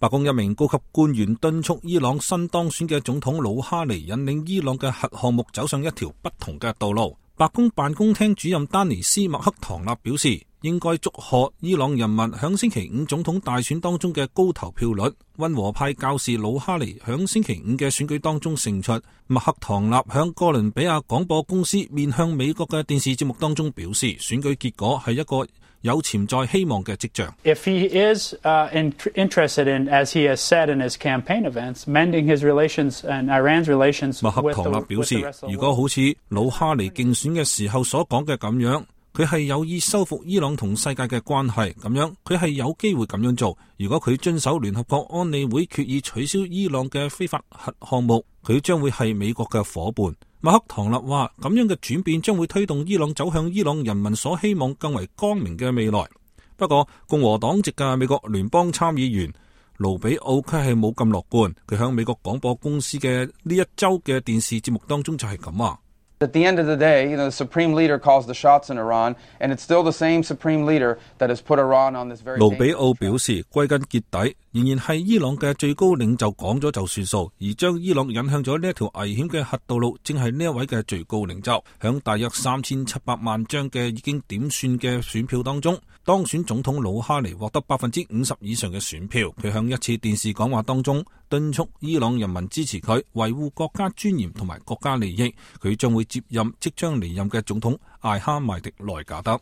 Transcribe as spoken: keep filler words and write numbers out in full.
白宮一名高級官員敦促伊朗新當選嘅總統魯哈尼引領伊朗嘅核項目走上一條不同嘅道路。白宮辦公廳主任丹尼斯麥克唐納表示，應該祝賀伊朗人民響星期五總統大選當中嘅高投票率。溫和派教士魯哈尼響星期五嘅選舉當中勝出。麥克唐納響哥倫比亞廣播公司面向美國嘅電視節目當中表示，選舉結果係一個有潛在希望嘅跡象。If he is uh, in, interested in, as he has said in his campaign events, mending his relations and Iran's relations with the, 麥克唐納表示，如果好似魯哈尼競選嘅時候所講嘅咁樣，佢係有意修復伊朗同世界嘅關係，咁樣佢係有機會咁樣做。如果佢遵守聯合國安理會決議取消伊朗嘅非法核項目，佢將會係美國嘅夥伴。馬克唐納話，咁樣嘅轉變將會推動伊朗走向伊朗人民所希望更為光明嘅未來。不過共和黨籍嘅美國聯邦參議員盧比奧佢係冇咁樂觀，佢響美國廣播公司嘅呢一周嘅電視節目當中就係咁話。At the end of the day, you know, the supreme leader calls the shots in Iran, and it's still the same supreme leader that has put Iran on this very. 盧比奧表示，歸根結底，仍然係伊朗嘅最高領袖講咗就算數，而將伊朗引向咗呢一條危險嘅核道路，正係呢一位嘅最高領袖。響大約三千七百萬張嘅已經點算嘅選票當中，當選總統魯哈尼獲得百分之五十以上嘅選票。佢響一次電視講話當中敦促伊朗人民支持佢，維護國家尊嚴同埋國家利益。佢將會接任即將離任嘅總統艾哈邁迪內賈德。